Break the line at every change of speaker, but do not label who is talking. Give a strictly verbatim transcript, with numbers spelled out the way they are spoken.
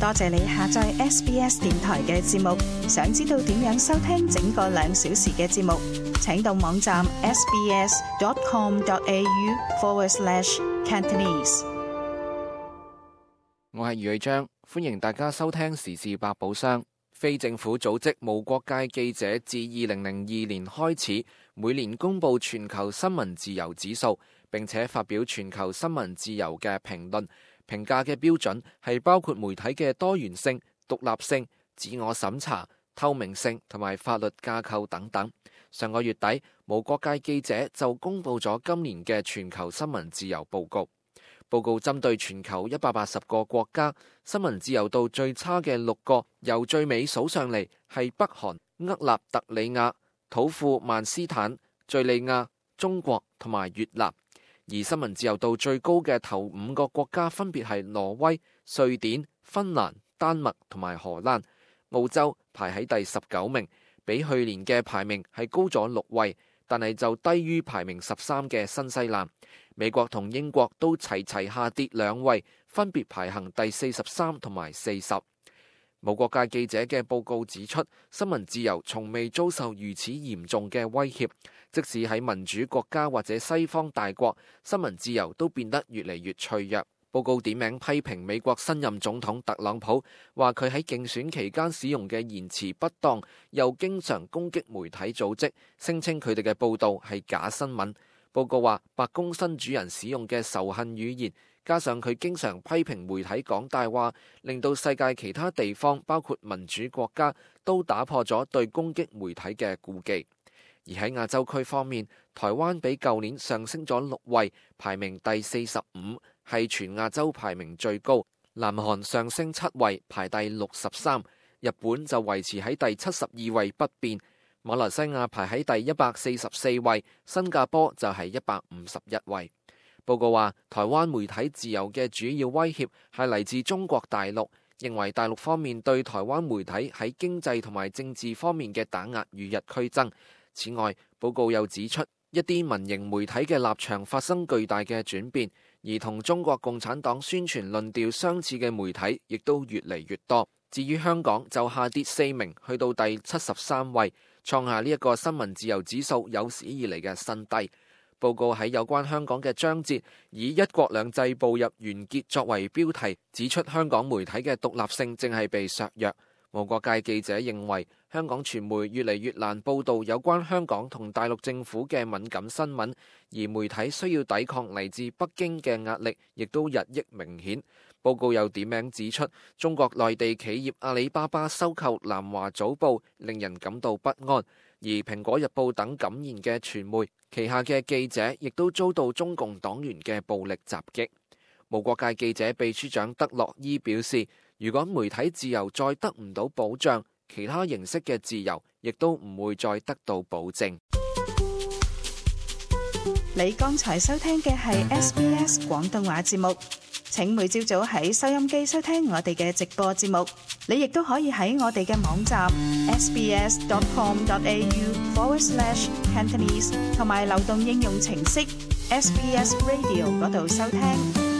多謝你下載 S B S 電台嘅節目。想知道點樣收聽整個兩小時嘅節目，請到網站 sbs.com.au forward slash Cantonese。
我係余偉章，歡迎大家收聽時事百寶箱。非政府組織無國界記者自二零零二年開始，每年公布全球新聞自由指數，並且發表全球新聞自由嘅評論。評價嘅標準係包括媒體嘅多元性、獨立性、自我審查、透明性同埋法律架構等等。上個月底，無國界記者就公布咗今年嘅全球新聞自由報告。報告針對全球一百八十個國家，新聞自由度最差嘅六個，由最尾數上嚟係北韓、厄立特里亞、土庫曼斯坦、敘利亞、中國同埋越南。而新聞自由度最高嘅頭五個國家分別係挪威、瑞典、芬蘭、丹麥同埋荷蘭。澳洲排喺第十九名，比去年嘅排名係高咗六位，但係就低於排名十三嘅新西蘭。美國同英國都齊齊下跌兩位，分別排行第四十三同埋四十。無國界記者嘅報告指出，新聞自由從未遭受如此嚴重嘅威脅，即使喺民主國家或者西方大國，新聞自由都變得越嚟越脆弱。報告點名批評美國新任總統特朗普，話佢喺競選期間使用嘅言辭不當，又經常攻擊媒體組織，聲稱佢哋嘅報導係假新聞。報告話，白宮新主人使用嘅仇恨語言，加上佢經常批評媒體講大話，令到世界其他地方，包括民主國家，都打破咗對攻擊媒體嘅顧忌。而喺亞洲區方面，台灣比舊年上升咗六位，排名第四十五，係全亞洲排名最高。南韓上升七位，排第六十三，日本就維持喺第七十二位不變。馬來西亞排喺第一百四十四位，新加坡就係一百五十一位。報告話，台灣媒體自由嘅主要威脅係嚟自中國大陸，認為大陸方面對台灣媒體喺經濟同埋政治方面嘅打壓與日俱增。此外，報告又指出，一啲民營媒體嘅立場發生巨大嘅轉變，而同中國共產黨宣傳論調相似嘅媒體亦都越嚟越多。至於香港就下跌四名，去到第七十三位，創下呢一個新聞自由指數有史以嚟嘅新低。報告喺有關香港嘅章節以一國兩制步入完結作為標題，指出香港媒體嘅獨立性正係被削弱。無國界記者認為，香港傳媒越嚟越難報導有關香港同大陸政府嘅敏感新聞，而媒體需要抵抗嚟自北京嘅壓力，亦都日益明顯。報告又點名指出，中國內地企業阿里巴巴收購南華早報，令人感到不安，而蘋果日報等敢言嘅傳媒旗下嘅記者亦都遭到中共黨員嘅暴力襲擊。無國界記者秘書長德洛伊表示，如果媒體自由再得唔到保障，其他形式嘅自由亦都唔會再得到保證。
你剛才收聽嘅係 S B S 廣東話節目，請每朝早喺收音機收聽我哋嘅直播節目。你亦都可以喺我哋嘅網站 sbs.com.au forward slash Cantonese 同埋流動應用程式 S B S Radio 嗰度收聽。